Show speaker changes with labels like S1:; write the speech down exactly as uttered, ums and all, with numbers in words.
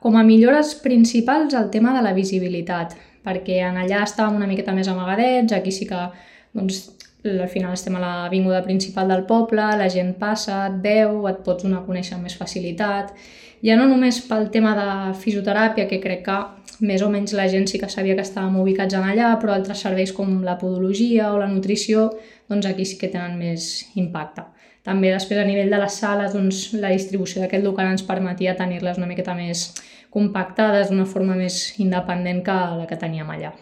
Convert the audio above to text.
S1: Com a millores principals, el tema de la visibilitat, perquè en allà estàvem una miqueta més amagadets, aquí sí que doncs, al final estem a l'avinguda principal del poble, la gent passa, et veu, et pots donar a conèixer amb més facilitat. Ja no només pel tema de fisioteràpia, que crec que més o menys la gent sí que sabia que estàvem ubicats en allà, però altres serveis com la podologia o la nutrició, doncs aquí sí que tenen més impacte. També després a nivell de les sales, doncs, la distribució d'aquest local ens permetia tenir-les una miqueta més compactades d'una forma més independent que la que teníem allà.